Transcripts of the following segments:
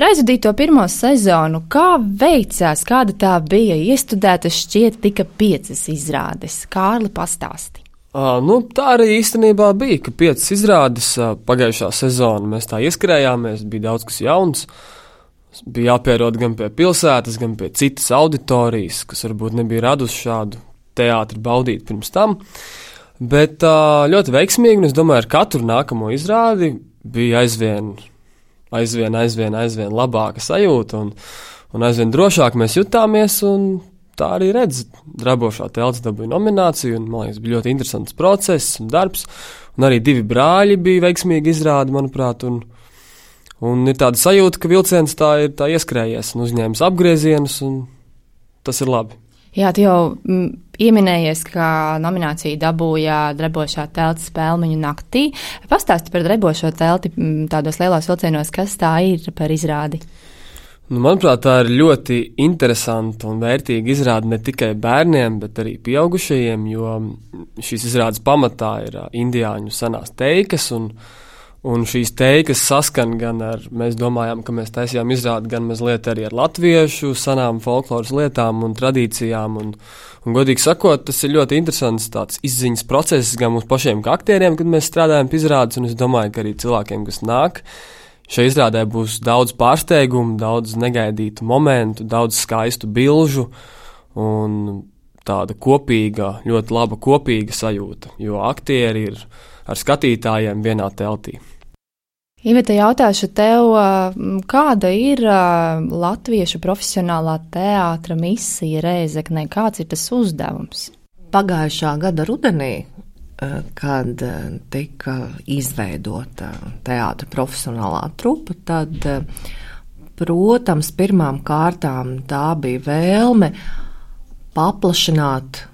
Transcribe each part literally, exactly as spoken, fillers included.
Par aizvadīto pirmo sezonu, kā veicās, kāda tā bija? Iestudētas šķiet tika piecas izrādes. Kārli, pastāsti. Uh, nu, tā arī īstenībā bija, ka piecas izrādes uh, pagājušā sezona. Mēs tā ieskrējāmies, bija daudz kas jauns. Bija jāpierod gan pie pilsētas, gan pie citas auditorijas, kas varbūt nebija radusi šādu teātri baudīt pirms tam. Bet uh, ļoti veiksmīgi, un es domāju, ar katru nākamo izrādi bija aizvien, aizvien, aizvien, aizvien labāka sajūta, un, un aizvien drošāk mēs jutāmies, un tā arī redz, Drabošā telts dabūja nomināciju, un, man liekas, bija ļoti interesants process un darbs, un arī divi brāļi bija veiksmīgi izrādi, manuprāt, un, un ir tāda sajūta, ka vilciens tā ir tā ieskrējies un uzņēmis apgriezienus, un tas ir labi. Jā, tu jau m, ieminējies, ka nomināciju dabūja Drabošā telts Spēlmeņu naktī. Pastāsti par Drabošo telti m, tādos lielos vilcienos, kas tā ir par izrādi? Nu, manuprāt, tā ir ļoti interesanta un vērtīga izrāde ne tikai bērniem, bet arī pieaugušajiem, jo šīs izrādes pamatā ir indiāņu senās teikas, un, un šīs teikas saskan gan ar, mēs domājām, ka mēs taisījām izrādi gan mazliet arī ar latviešu senām folkloras lietām un tradīcijām, un, un godīgi sakot, tas ir ļoti interesants tāds izziņas process gan mums pašiem kā aktieriem, kad mēs strādājam pie izrādes, un es domāju, ka arī cilvēkiem, kas nāk, šai izrādē būs daudz pārsteigumu, daudz negaidītu momentu, daudz skaistu bilžu un tāda kopīga, ļoti laba kopīga sajūta, jo aktieri ir ar skatītājiem vienā teltī. Iveta, jautāšu tev, kāda ir latviešu profesionālā teātra misija Rēzeknē? Kāds ir tas uzdevums? Pagājušā gada rudenī, kad tika izveidota teātra profesionālā trupa, tad, protams, pirmām kārtām tā bija vēlme paplašināt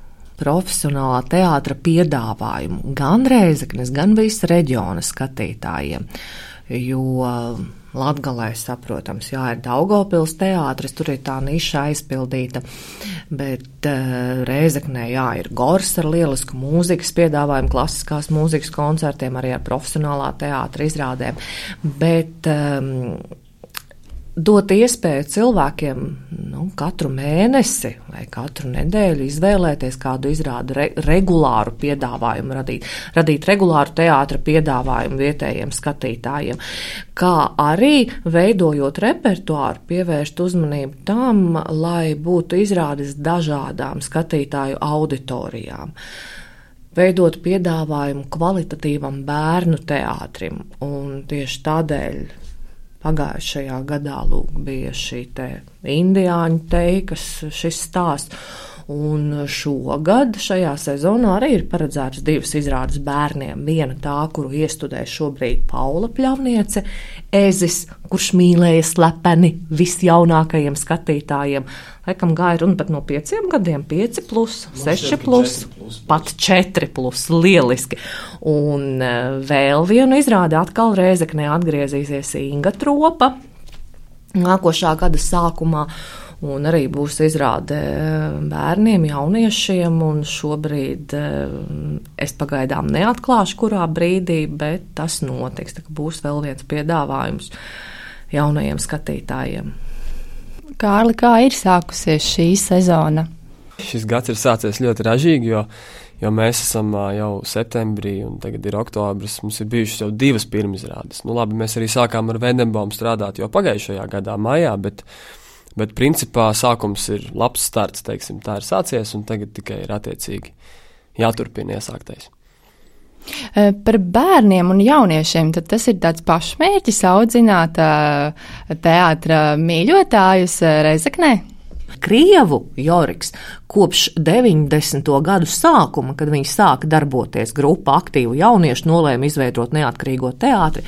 profesionālā teātra piedāvājumu gan Rēzeknes, gan visa reģiona skatītājiem, jo Latgalē, saprotams, jā, ir Daugavpils teātris, tur ir tā niša aizpildīta, bet uh, Rēzeknē, jā, ir Gors ar lielisku mūzikas piedāvājumu, klasiskās mūzikas koncertiem, arī ar profesionālā teātra izrādēm, bet um, dot iespēju cilvēkiem nu, katru mēnesi vai katru nedēļu izvēlēties kādu izrādu re, regulāru piedāvājumu, radīt, radīt regulāru teātra piedāvājumu vietējiem skatītājiem, kā arī veidojot repertuāru, pievērst uzmanību tam, lai būtu izrādes dažādām skatītāju auditorijām. Veidot piedāvājumu kvalitatīvam bērnu teātrim, un tieši tādēļ pagājušajā gadā lūk bija šī te indiāņu teikas, šis stāsts, un šogad šajā sezonā arī ir paredzētas divas izrādes bērniem. Viena tā, kuru iestudē šobrīd Paula Pļavniece, Ezis, kurš mīlēja slepeni visjaunākajiem skatītājiem. Laikam gāja runa pat no pieciem gadiem, pieci plus, seši plus, pat četri plus, lieliski. Un vēl vienu izrādi atkal Rēzeknē atgriezīsies Inga Tropa nākošā gada sākumā, un arī būs izrāde bērniem, jauniešiem, un šobrīd es pagaidām neatklāšu, kurā brīdī, bet tas notiks, tā kā būs vēl viens piedāvājums jaunajiem skatītājiem. Kārli, kā ir sākusies šī sezona? Šis gads ir sācies ļoti ražīgi, jo, jo mēs esam jau septembrī un tagad ir oktobris, mums ir bijušas jau divas pirmizrādes. Nu labi, mēs arī sākām ar Vendenbaumu strādāt jau pagājušajā gadā maijā, bet Bet principā sākums ir labs starts, teiksim, tā ir sācies, un tagad tikai ir attiecīgi jāturpina iesāktais. Par bērniem un jauniešiem, tad tas ir tāds pašmērķis audzināt teātra mīļotājus Rēzeknē? Krievu Joriks kopš deviņdesmito gadu sākuma, kad viņi sāka darboties grupa aktīvu jauniešu, nolēma izveidot neatkarīgo teātri.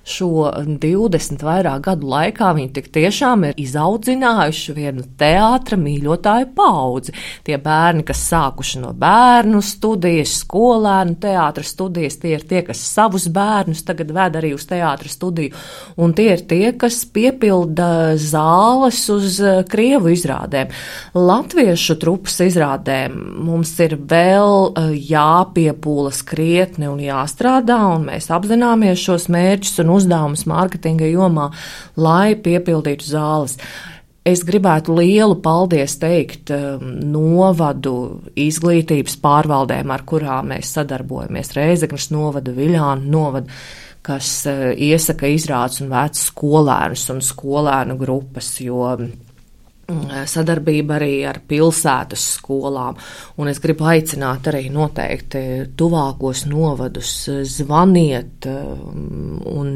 Šo divdesmit vairāk gadu laikā viņi tik tiešām ir izaudzinājuši vienu teātra mīļotāju paudzi. Tie bērni, kas sākuši no bērnu studijas, skolēnu teātra studijas, tie ir tie, kas savus bērnus tagad ved arī uz teātra studiju, un tie ir tie, kas piepilda zāles uz Krievu izrādēm. Latviešu trupas izrādēm mums ir vēl jāpiepūlas krietni un jāstrādā, un mēs apzināmies šos mērķus un uzdevumus mārketinga jomā, lai piepildītu zāles. Es gribētu lielu paldies teikt novadu izglītības pārvaldēm, ar kurām mēs sadarbojamies. Rēzeknes novada, Viļānu novada, kas iesaka izrādes un vec skolēnus un skolēnu grupas, jo sadarbība arī ar pilsētas skolām. Un es gribu aicināt arī noteikti tuvākos novadus, zvaniet un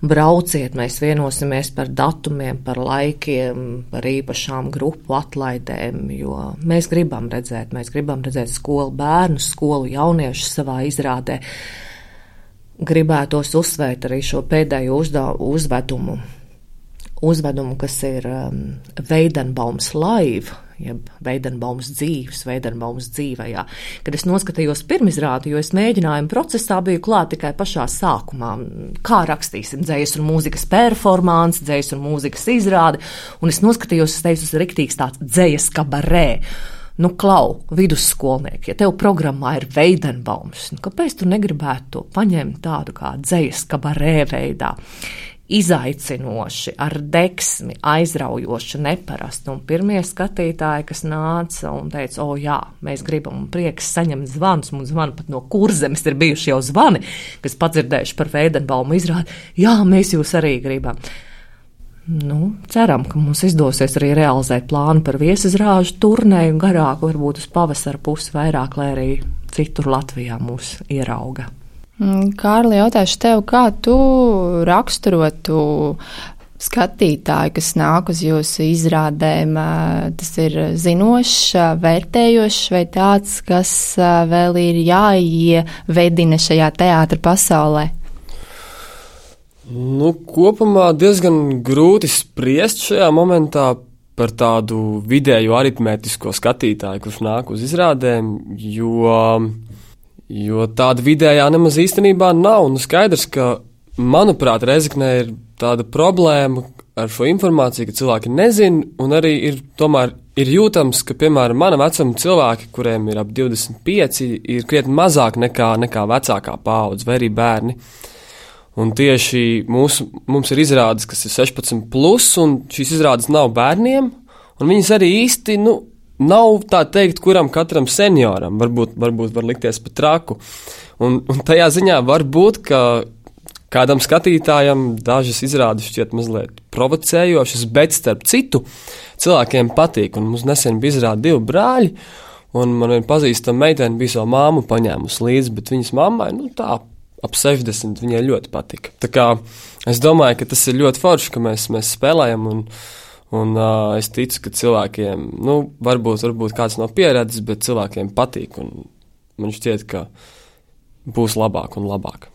brauciet, mēs vienosimies par datumiem, par laikiem, par īpašām grupu atlaidēm, jo mēs gribam redzēt, mēs gribam redzēt skolu bērnus, skolu jauniešus savā izrādē. Gribētos uzsvērt arī šo pēdējo uzvedumu. Uzvedumu, kas ir um, Veidenbaums live, jeb Veidenbaums dzīves, Veidenbaums dzīvajā. Kad es noskatījos pirmizrādi, jo es mēģinājumu procesā biju klāt tikai pašā sākumā, kā rakstīsim dzējas un mūzikas performance, dzējas un mūzikas izrādi, un es noskatījos, es teicu, tas ir riktīgs tāds dzējas kabarē. Nu, klau, vidusskolnieki, ja tev programmā ir Veidenbaums, nu, kāpēc tu negribētu to paņemt tādu kā dzējas kabarē veidā? Izaicinoši, ar deksmi, aizraujoši, neparasti. Un pirmie skatītāji, kas nāca un teica, o jā, mēs gribam, un prieks saņemt zvanus, mums zvana pat no Kurzemes ir bijuši jau zvani, kas padzirdējuši par Veidenbaumu izrādi, jā, mēs jūs arī gribam. Nu, ceram, ka mums izdosies arī realizēt plānu par viesizrāžu turnēju garāku, varbūt uz pavasara pusi vairāk, lai arī citur Latvijā mūs ierauga. Kārli, jautāšu tev, kā tu raksturotu skatītāju, kas nāk uz jūsu izrādēm? Tas ir zinošs, vērtējošs vai tāds, kas vēl ir jāievedina šajā teātra pasaulē? Nu, kopumā diezgan grūti spriest šajā momentā par tādu vidēju aritmētisko skatītāju, kurš nāk uz izrādēm, jo... Jo tāda vidējā nemaz īstenībā nav. Nu, skaidrs, ka, manuprāt, Rēzeknē ir tāda problēma ar šo informāciju, ka cilvēki nezina, un arī ir, tomēr ir jūtams, ka, piemēram, mana vecuma cilvēki, kuriem ir ap divdesmit pieci, ir krietni mazāk nekā, nekā vecākā paudze, vai arī bērni. Un tieši mūsu, mums ir izrādes, kas ir sešpadsmit plus, un šīs izrādes nav bērniem, un viņas arī īsti, nu, nav tā teikt, kuram katram senioram, varbūt, varbūt var likties pat traku. Un, un tajā ziņā var būt, ka kādam skatītājam dažas izrādes šķiet mazliet provocējošas, bet starp citu cilvēkiem patīk. Un mums nesen bija izrāde divi brāļi, un man viena pazīstama meitene bija savu māmu paņēmusi līdzi, bet viņas mammai, nu tā, ap sešdesmit viņai ļoti patika. Tā kā es domāju, ka tas ir ļoti forši, ka mēs, mēs spēlējam un Un uh, es ticu, ka cilvēkiem, nu, varbūt, varbūt kāds nav pieredzis, bet cilvēkiem patīk, un man šķiet, ka būs labāk un labāk.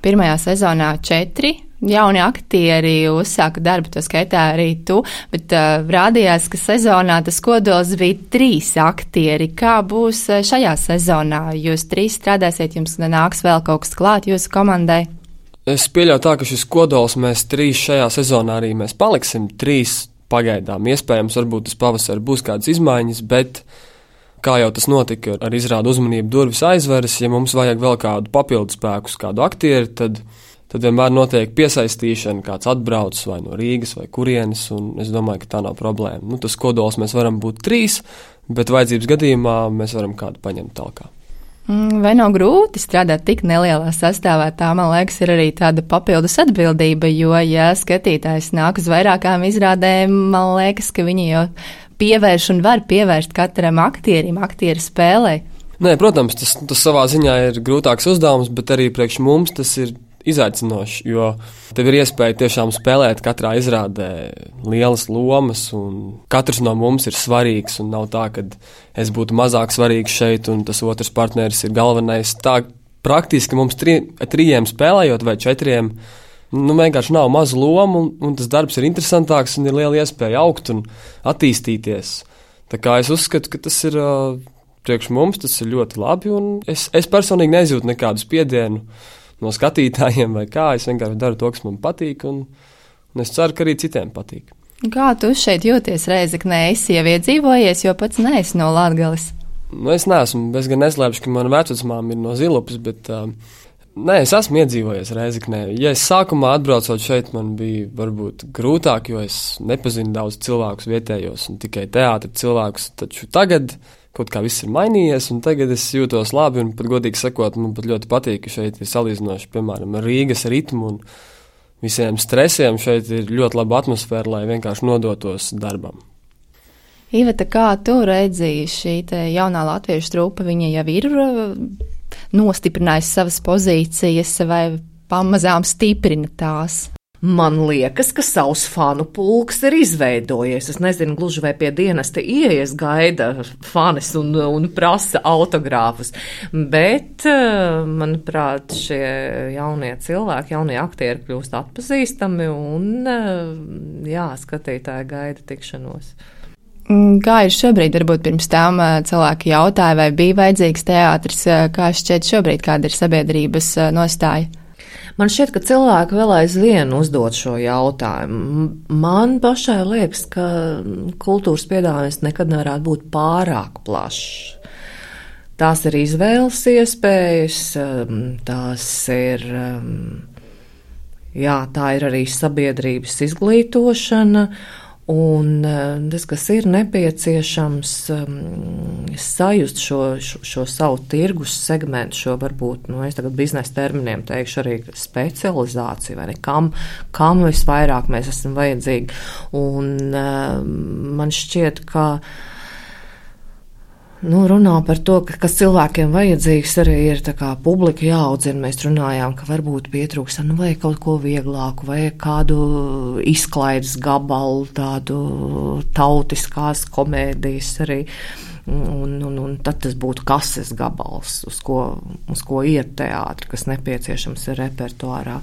Pirmajā sezonā četri jauni aktieri uzsāka darbu, to skaitā arī tu, bet uh, rādījās, ka sezonā tas kodols bija trīs aktieri. Kā būs šajā sezonā? Jūs trīs strādāsiet, jums nāks vēl kaut kas klāt jūsu komandai? Es pieļauju tā, ka šis kodols mēs trīs šajā sezonā arī mēs paliksim, trīs pagaidām. Iespējams, varbūt tas pavasarī būs kādas izmaiņas, bet kā jau tas notika ar izrādu uzmanību durvis aizveras, ja mums vajag vēl kādu papildu spēkus, kādu aktieri, tad, tad vienmēr notiek piesaistīšana, kāds atbrauc vai no Rīgas vai kurienes, un es domāju, ka tā nav problēma. Nu, tas kodols mēs varam būt trīs, bet vajadzības gadījumā mēs varam kādu paņemt talkā. Vai nav grūti strādāt tik nelielā sastāvā? Tā, man liekas, ir arī tāda papildus atbildība, jo, ja skatītājs nāk uz vairākām izrādēm, man liekas, ka viņi jau pievērš un var pievērst katram aktierim, aktieru spēlē. Nē, protams, tas, tas savā ziņā ir grūtāks uzdevums, bet arī priekš mums tas ir izaicinoši, jo tev ir iespēja tiešām spēlēt katrā izrādē lielas lomas, un katrs no mums ir svarīgs, un nav tā, ka es būtu mazāk svarīgs šeit, un tas otrs partneris ir galvenais. Tā praktiski mums tri, trījiem spēlējot vai četriem, nu vienkārši nav mazu lomu, un, un tas darbs ir interesantāks, un ir liela iespēja augt un attīstīties. Tā kā es uzskatu, ka tas ir priekš mums, tas ir ļoti labi, un es, es personīgi nejūtu nekādu spiedienu no skatītājiem vai kā, es vienkārši daru to, kas man patīk, un, un es ceru, ka arī citiem patīk. Kā tu šeit jūties Rēzeknē? Esi jau iedzīvojies, jo pats neesi no Latgales. Nu, es neesmu, es gan neslēpšu, ka mana vecvecmāma ir no Zilupas, bet uh, Nē, es esmu iedzīvojies Rēzeknē. Ja es sākumā atbraucot šeit, man bija varbūt grūtāk, jo es nepazinu daudz cilvēkus vietējos un tikai teātra cilvēkus, taču tagad kaut kā viss ir mainījies, un tagad es jūtos labi, un pat godīgi sakot, man pat ļoti patīk, ka šeit ir salīdzinoši, piemēram, Rīgas ritmu un visiem stresiem. Šeit ir ļoti laba atmosfēra, lai vienkārši nodotos darbam. Iveta, kā tu redzīji šī te jaunā latviešu trupa, viņa jau ir nostiprinājusi savas pozīcijas vai pamazām stiprina tās? Man liekas, ka savs fanu pulks ir izveidojies. Es nezinu, gluži vai pie dienesta ieejas gaida fanis un, un prasa autogrāfus, bet, manuprāt, šie jaunie cilvēki, jaunie aktieri kļūst atpazīstami un, jā, skatītāji gaida tikšanos. Kā ir šobrīd, varbūt pirms tam cilvēki jautāja, vai bija vajadzīgs teātris, kā šķiet šobrīd, kāda ir sabiedrības nostāja? Man šķiet, ka cilvēki vēl aizvien uzdod šo jautājumu. Man pašai liekas, ka kultūras piedāvājums nekad nevarētu būt pārāk plašs. Tās ir izvēles iespējas, tās ir, jā, tā ir arī sabiedrības izglītošana. Un tas, kas ir nepieciešams, sajust šo, šo, šo savu tirgus segmentu, šo varbūt, nu, es tagad biznesa terminiem teikšu arī specializāciju, vai ne, kam, kam visvairāk mēs esam vajadzīgi. Un man šķiet, ka nu, runā par to, ka, kas cilvēkiem vajadzīgs arī ir tā kā publika jāaudzina. Mēs runājām, ka varbūt pietrūkst, nu, vai kaut ko vieglāku, vai kādu izklaides gabalu, tādu tautiskās komēdijas arī. Un, un, un tad tas būtu kases gabals, uz ko, uz ko iet teātri, kas nepieciešams ir repertuārā.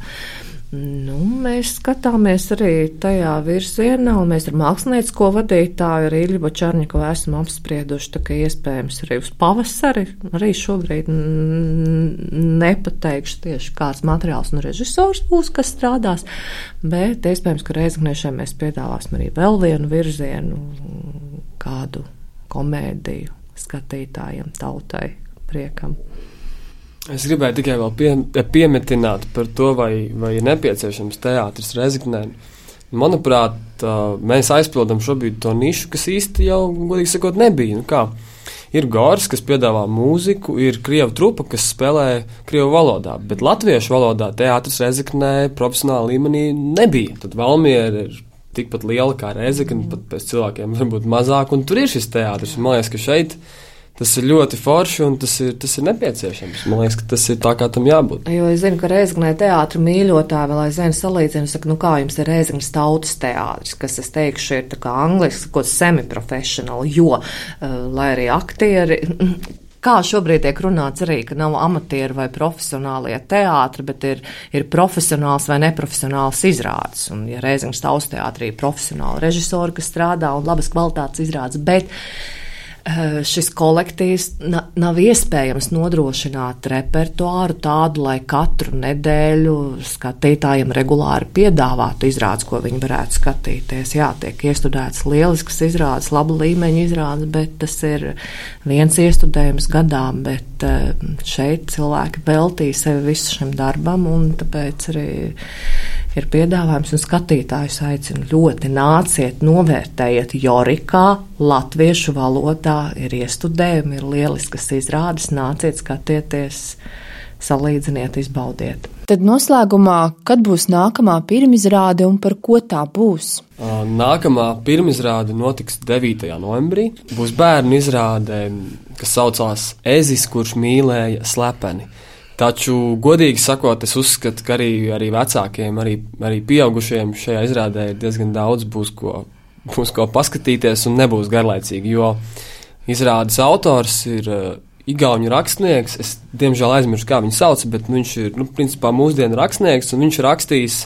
Nu, mēs skatāmies arī tajā virzienā, un mēs ar māksliniecisko vadītāju, ar Ilju Bočarņikovu esam apsprieduši, tā ka iespējams arī uz pavasari, arī šobrīd nepateikšu tieši kāds materiāls un režisors būs, kas strādās, bet iespējams, ka Rēzeknešiem mēs piedāvāsim arī vēl vienu virzienu, kādu komēdiju skatītājiem, tautai, priekam. Es gribēju tikai vēl pie, piemetināt par to, vai, vai ir nepieciešams teātris Rēzeknē. Manuprāt, mēs aizpildam šobrīd to nišu, kas īsti jau, godīgi sakot, nebija. Nu kā, ir Gors, kas piedāvā mūziku, ir krievu trupa, kas spēlē krievu valodā, bet latviešu valodā teātris Rēzeknē profesionāla līmenī nebija. Tad Valmiera ir tikpat liela kā Rēzekne, pat pēc cilvēkiem varbūt mazāk, un tur ir šis teātris. Man liekas, ka šeit tas ir ļoti forši un tas ir, tas ir nepieciešams. Man liekas, ka tas ir tā, kā tam jābūt. Jo es zinu, ka Rēzeknē teātra mīļotāji vēl aizvien salīdzina, saka, nu kā jums ir Rēzeknes tautas teātris, kas, es teikšu, ir tā kā angliski, kaut semi-professionāli, jo, uh, lai arī aktieri, kā šobrīd tiek runāts arī, ka nav amatieri vai profesionālie teātri, bet ir, ir profesionāls vai neprofesionāls izrādes. Un, ja Rēzeknes tautas teātrī ir profesionāli režisori, kas strādā un labas kvalitātes izrādes, bet šis kolektīvs nav iespējams nodrošināt repertuāru tādu, lai katru nedēļu skatītājiem regulāri piedāvātu izrādes, ko viņi varētu skatīties. Jā, tiek iestudētas lieliskas izrādes, laba līmeņa izrādes, bet tas ir viens iestudējums gadā, bet šeit cilvēki veltīja sevi visu šim darbam, un tāpēc arī ir piedāvājums, un skatītājus aicinu ļoti nāciet, novērtējiet Jorikā, latviešu valodā, ir iestudējumi, ir lieliskas izrādes, nāciet, skatieties, salīdziniet, izbaudiet. Tad noslēgumā, kad būs nākamā pirmizrāde un par ko tā būs? Nākamā pirmizrāde notiks devītajā novembrī. Būs bērnu izrāde, kas saucās Ezis, kurš mīlēja slepeni. Taču, godīgi sakot, es uzskatu, ka arī, arī vecākiem, arī, arī pieaugušiem šajā izrādē ir diezgan daudz, būs ko, būs ko paskatīties un nebūs garlaicīgi, jo izrādes autors ir uh, igauņu rakstnieks. Es, diemžēl, aizmirsu, kā viņu sauc, bet viņš ir, nu, principā mūsdienu rakstnieks, un viņš ir rakstījis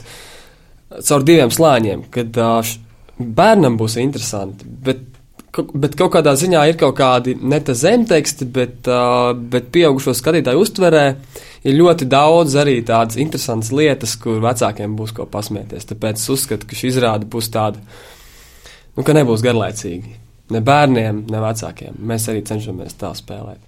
caur diviem slāņiem, kad uh, bērnam būs interesanti, bet Bet kaut kādā ziņā ir kaut kādi ne tā zemteksti, bet, uh, bet pieaugušo skatītāju uztverē ir ļoti daudz arī tādas interesantas lietas, kur vecākiem būs ko pasmieties. Tāpēc es uzskatu, ka šī izrāde būs tāda, nu, ka nebūs garlaicīgi. Ne bērniem, ne vecākiem. Mēs arī cenšamies tā spēlēt.